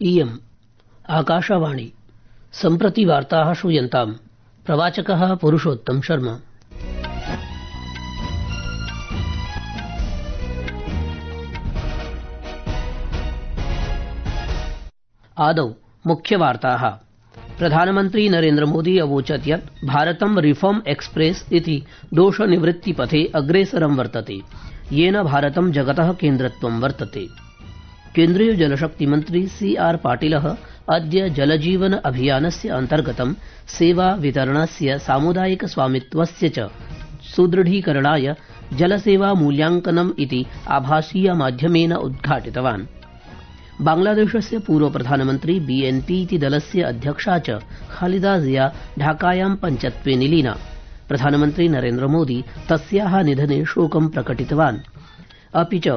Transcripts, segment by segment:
इयम् आकाशवाणी सम्प्रति वार्ताः श्रूयन्ताम्। प्रवाचकः पुरुषोत्तम शर्मा। आदौ मुख्यवार्ताः। प्रधानमन्त्री नरेन्द्रमोदी अवोचत् यत् भारतं रिफॉर्म एक्सप्रेस इति दोषनिवृत्तिपथे अग्रेसरं वर्तते, येन भारतं जगतः केन्द्रत्वं वर्तते। केन्द्रीय जलशक्तिमन्त्री CR पाटिलः अद्य जलजीवन अभियानस्य अन्तर्गतं सेवा वितरणस्य सामुदायिक स्वामित्वस्य च सुदृढीकरणाय जलसेवा मूल्यांकनम् इति आभासीय माध्यमेन उद्घाटितवान्। बांग्लादेशस्य पूर्व प्रधानमन्त्री BNP इति दलस्य अध्यक्षा च खालिदा जिया ढाकायां पञ्चत्वे निलीना। प्रधानमन्त्री नरेन्द्रमोदी तस्याः निधने शोकं प्रकटितवान्। अपि च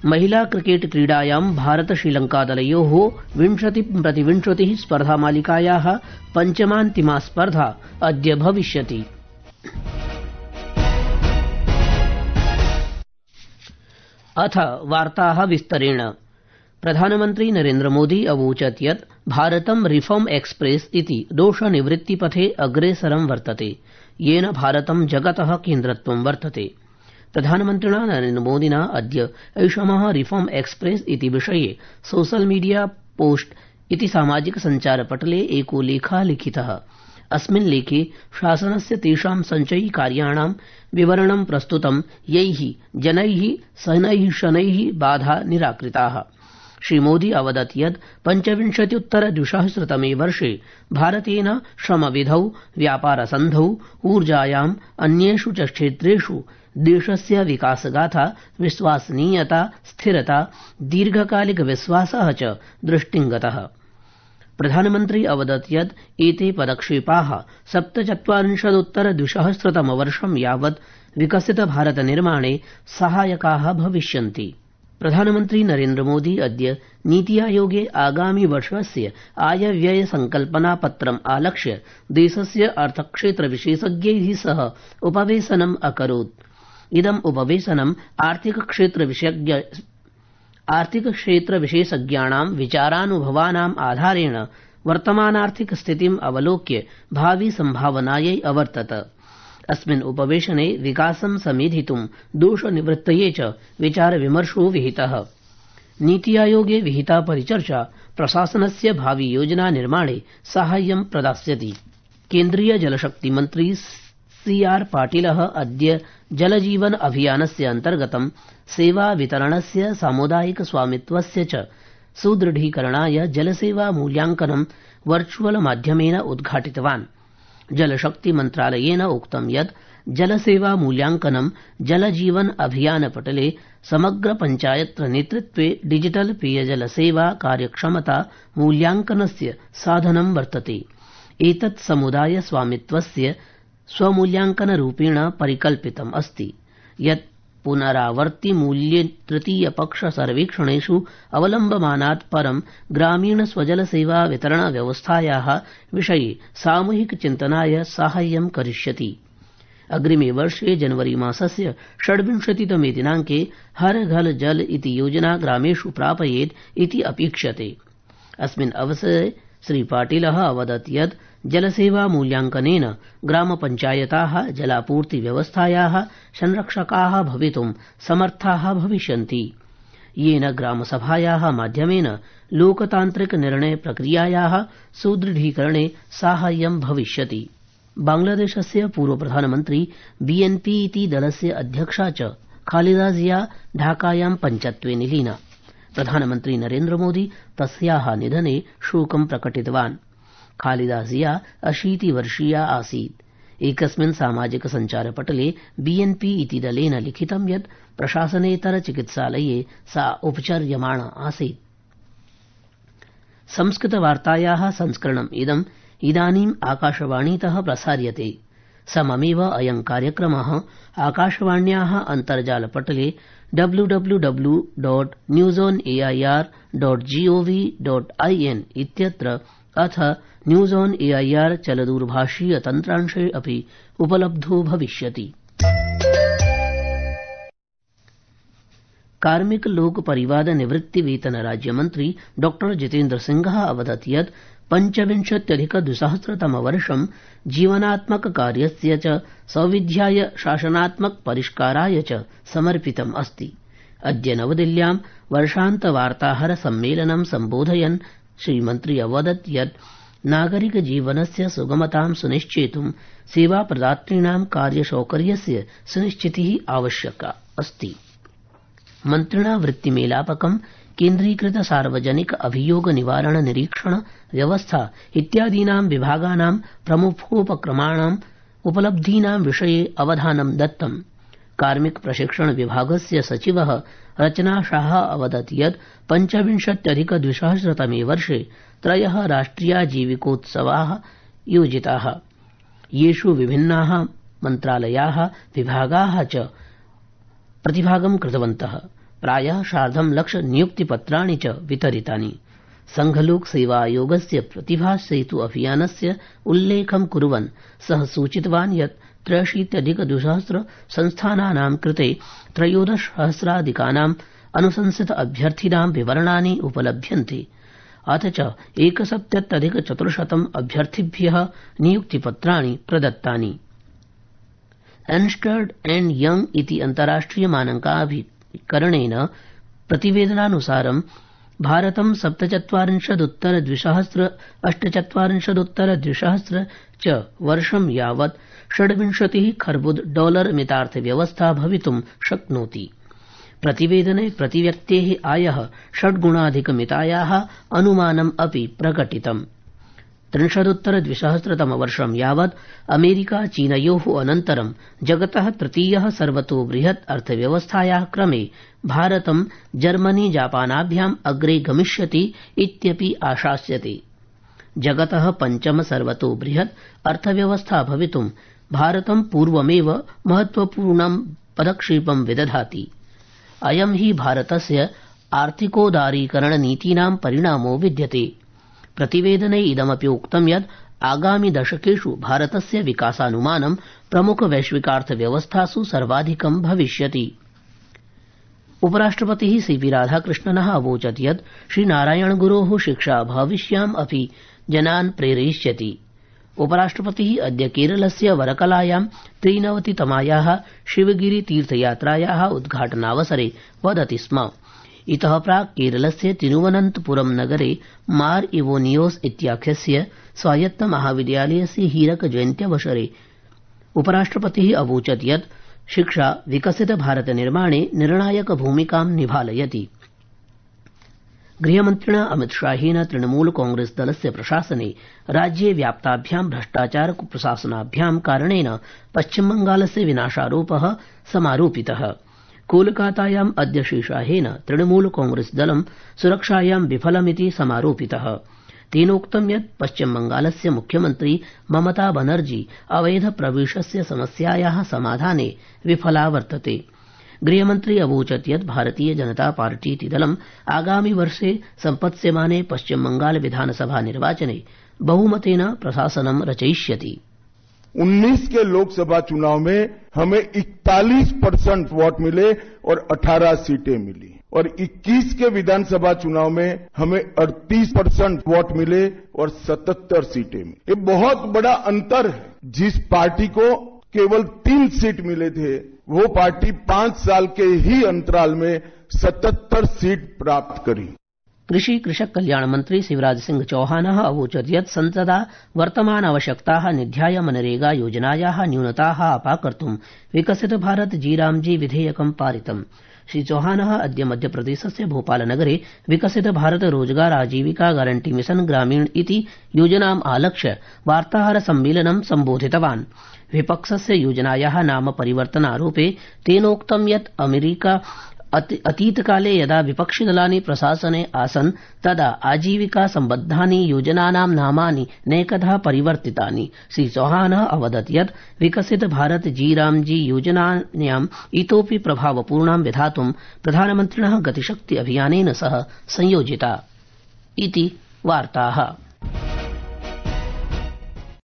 महिला क्रिकेट क्रीडायां भारत श्रीलंकादलयोः 20-20 स्पर्धामालिकायाः पञ्चमान्तिमा स्पर्धा अद्य भविष्यति। अथ वार्ताः विस्तरेण। प्रधानमन्त्री नरेन्द्रमोदी अवोचत् यत् भारतं रिफॉर्म एक्सप्रेस इति दोषनिवृत्तिपथे अग्रेसरं वर्तते, येन भारतं जगतः केन्द्रत्वं वर्तते। प्रधानमन्त्रिणा नरेन्द्रमोदिना अद्य ऐषमः रिफॉर्म एक्सप्रेस इति विषये सोशल मीडिया पोस्ट इति सामाजिक सञ्चारपटले एको लेखः लिखितः। अस्मिन् लेखे शासनस्य तेषां सञ्चयिकार्याणां विवरणं प्रस्तुतं, यैः जनैः शनैः बाधा निराकृताः। श्रीमोदी अवदत् यत् 25-द्विसहस्रतमे वर्षे भारतेन श्रमविधौ, व्यापारसन्धौ, ऊर्जायाम्, अन्येषु च क्षेत्रेषु देशस्य विकासगाथा, विश्वसनीयता, स्थिरता, दीर्घकालिक विश्वासः च दृष्टिंगतः। प्रधानमन्त्री अवदत् यत् एते पदक्षेपाः 47-द्विसहस्रतमवर्षं यावत् विकसित भारत निर्माणे सहायकाः भविष्यन्ति। प्रधानमन्त्री नरेन्द्रमोदी अद्य नीति आयोगे आगामि वर्षस्य आयव्यय संकल्पनापत्रम् आलक्ष्य देशस्य अर्थक्षेत्र विशेषज्ञैः सह उपवेशनम् अकरोत्। इदम् उपवेशनम् आर्थिकक्षेत्रविशेषज्ञाणां विचारानुभवानाम् आधारेण वर्तमानार्थिक स्थितिम् अवलोक्य भावि सम्भावनायै अवर्तत। अस्मिन् उपवेशने विकासं समेधितुं दोषनिवृत्तये च विचारविमर्शो विहितः। नीति आयोगे विहिता परिचर्चा प्रशासनस्य भावि योजना निर्माणे साहाय्यं प्रदास्यति। केन्द्रीय जलशक्तिमन्त्री CR पाटिलः अद्य जलजीवन अभियानस्य अन्तर्गतं सेवा वितरणस्य सामुदायिक स्वामित्वस्य च सुदृढीकरणाय जलसेवा मूल्यांकनं वर्चुअल माध्यमेन उद्घाटितवान्। जलशक्ति मन्त्रालयेन उक्तं यत् जलसेवा मूल्यांकनं जलजीवन अभियान पटले समग्र पञ्चायत्र नेतृत्वे डिजिटल पेयजल सेवा कार्यक्षमता मूल्यांकनस्य साधनं वर्तते। एतत् समुदाय स्वामित्वस्य स्वमूल्यांकनरूपेण परिकल्पितम् अस्ति, यत् पुनरावर्ति मूल्ये तृतीय पक्ष सर्वेक्षणेषु अवलम्बमानात् परं ग्रामीण स्वजल सेवा वितरण व्यवस्थायाः विषये सामूहिक चिन्तनाय साहाय्यं करिष्यति। अग्रिमे वर्षे जनवरी मासस्य 26तमे दिनाङ्के हर घर जल इति योजना ग्रामेषु प्रापयेत् इति अपेक्ष्यते। अस्मिन् अवसरे श्रीपाटिलः अवदत् यत् जलसेवा मूल्यांकनेन ग्रामपञ्चायताः जलापूर्ति व्यवस्थायाः संरक्षकाः भवितुं समर्थाः भविष्यन्ति, येन ग्रामसभायाः माध्यमेन लोकतान्त्रिक निर्णय प्रक्रियायाः सुदृढीकरणे साहाय्यं भविष्यति। बांग्लादेशस्य पूर्व प्रधानमन्त्री BNP इति दलस्य अध्यक्षा च खालिदा जिया ढाकायां पञ्चत्वे निलीना। प्रधानमन्त्री नरेन्द्रमोदी तस्याः निधने शोकं प्रकटितवान्। खालिदा जिया 80 वर्षीया आसीत्। एकस्मिन् सामाजिक सञ्चारपटले BNP इति दलेन लिखितं यत् प्रशासनेतर चिकित्सालये सा उपचर्यमाणा आसीत्। संस्कृतवार्तायाः संस्करणम् इदम् इदानीम् आकाशवाणीतः प्रसार्यते। सममेव अयं कार्यक्रमः आकाशवाण्याः अन्तर्जालपटले www.newsonair.gov.in इत्यत्र अथ न्यूज ऑन एआईआर चलदूरभाषीय तन्त्रांशे अपि उपलब्धो भविष्यति। कार्मिक लोक परिवाद निवृत्ति वेतन राज्यमन्त्री डॉ जितेन्द्र सिंहः अवदत् यत् 25,200तमवर्षं जीवनात्मक कार्यस्य च सौविध्याय शासनात्मक परिष्काराय च समर्पितम् अस्ति। अद्य नवदिल्ल्यां वर्षान्त वार्ताहर सम्मेलनं सम्बोधयन् श्रीमन्त्री अवदत् यत् नागरिक जीवनस्य सुगमतां सुनिश्चेतुं सेवाप्रदातॄणां कार्यसौकर्यस्य सुनिश्चितिः आवश्यका अस्ति। मन्त्रिणा वृत्तिमेलापकं केन्द्रीकृत सार्वजनिक अभियोग निवारण निरीक्षण व्यवस्था इत्यादीनां विभागानां प्रमुखोपक्रमाणाम् उपलब्धीनां विषये अवधानं दत्तम्। कार्मिक प्रशिक्षण विभागस्य सचिवः रचना शाह अवदत् यत् 25,200तमे वर्षे 3 राष्ट्रियाजीविकोत्सवाः योजिताः, येषु विभिन्नाः मन्त्रालयाः विभागाः च प्रतिभागं कृतवन्तः। प्रायः 1,00,000 नियुक्तिपत्राणि च वितरितानि। संघलोक सेवा आयोगस्य प्रतिभा सेतु अभियानस्य उल्लेखं कुर्वन् सः सूचितवान् यत् 83,200 संस्थानानां कृते 13,000 अनुशंसित अभ्यर्थिनां विवरणानि उपलभ्यन्ते। अथ च 71,400 अभ्यर्थिभ्यः नियुक्तिपत्राणि प्रदत्तानि। एर्न्स्ट् एण्ड् यंग इति अन्ताराष्ट्रिय मानकाभिकरणेन प्रतिवेदनानुसारं भारतं 47,200 48,200 च वर्षं यावत् 26 खर्बुद डॉलर मितार्थव्यवस्था भवितुं शक्नोति। प्रतिवेदने प्रतिव्यक्तेः आयः 6 गुणाधिकमितायाः अनुमानम् अपि प्रकटितम्। 3,200 यावत् अमेरिका चीनयोः अनन्तरं जगतः तृतीयः सर्वतोबृहत् अर्थव्यवस्थायाः क्रमे भारतं जर्मनी जापानाभ्याम् अग्रे गमिष्यति इत्यपि आशास्यते। जगतः पञ्चम सर्वतोबृहत् अर्थव्यवस्था भवितुं भारतं पूर्वमेव महत्वपूर्णं पदक्षेपं विदधाति। अयं हि भारतस्य आर्थिकोदारीकरणनीतीनां परिणामो विद्यते। प्रतिवेदने इदमपि उक्तं यत् आगामि दशकेषु भारतस्य विकासानुमानं प्रमुख वैश्विकार्थव्यवस्थासु सर्वाधिकं भविष्यति। उपराष्ट्रपतिः सीपी राधाकृष्णनः अवोचत् यत् श्रीनारायणगुरोः शिक्षा भविष्याम् अपि जनान् प्रेरयिष्यति। उपराष्ट्रपतिः अद्य केरलस्य वरकलायां 93तमायाः शिवगिरि तीर्थयात्रायाः उद्घाटनावसरे वदति स्म। इतः प्राक् केरलस्य तिरुवनन्तपुरम नगरे मार इवोनियोस इत्याख्यस्य स्वायत्त महाविद्यालयस्य हीरक जयन्त्यवसरे उपराष्ट्रपतिः अवोचत् यत् शिक्षा विकसित भारत निर्माणे निर्णायक भूमिकां निभालयति। गृहमन्त्रिणा अमितशाहेन तृणमूल कांग्रेस दलस्य प्रशासने राज्ये व्याप्ताभ्यां भ्रष्टाचार कुप्रशासनाभ्यां कारणेन पश्चिमबंगालस्य विनाशारोपः समारोपितः। कोलकातायाम् अद्य श्रीशाहेन तृणमूल कांग्रेस दलं सुरक्षायां विफलमिति समारोपितः। तेनोक्तं यत् पश्चिमबंगालस्य मुख्यमन्त्री ममता बनर्जी अवैध प्रवेशस्य समस्यायाः समाधाने विफला वर्तते। गृहमन्त्री अवोचत् यत् भारतीय जनता पार्टीति दलं आगामि वर्षे सम्पत्स्यमाने पश्चिमबंगाल विधानसभा निर्वाचने बहुमतेन प्रशासनं रचयिष्यति। 19 के लोकसभा चुनाव में हमें 41% वोट मिले और 18 सीटें मिली और 21 के विधानसभा चुनाव में हमें 38% वोट मिले और 77 सीटें मिली। ये बहुत बड़ा अंतर है। जिस पार्टी को केवल 3 सीट मिले थे वो पार्टी 5 साल के ही अंतराल में 77 सीट प्राप्त करी। कृषि कृषक कल्याण मंत्री शिवराज सिंह चौहानः अवोचत् यत् संसदा वर्तमान आवश्यकताः निध्याय मनरेगा योजनायाः न्यूनताः अपाकर्तुं विकसित भारत जीरामजी विधेयकं पारितम्। श्री चौहानः अद्य मध्यप्रदेशस्य भोपालनगरे विकसित भारत रोजगार आजीविका गारंटी मिशन ग्रामीण इति योजनाम् आलक्ष्य वार्ताहर सम्मेलनं सम्बोधितवान्। विपक्षस्य योजनायाः नाम परिवर्तनारोपे तेनोक्तं यत् अमेरिका अतीतकाले यदा विपक्षिदलानि प्रशासने आसन् तदा आजीविका सम्बद्धानि योजनानां नामानि नैकधा परिवर्तितानि। श्री चौहानः अवदत् यत् विकसित भारत जीरामजी योजनायाम् इतोपि प्रभावपूर्णां विधातुं प्रधानमन्त्रिणः गतिशक्ति अभियानेन सह संयोजिता इति वार्ताः।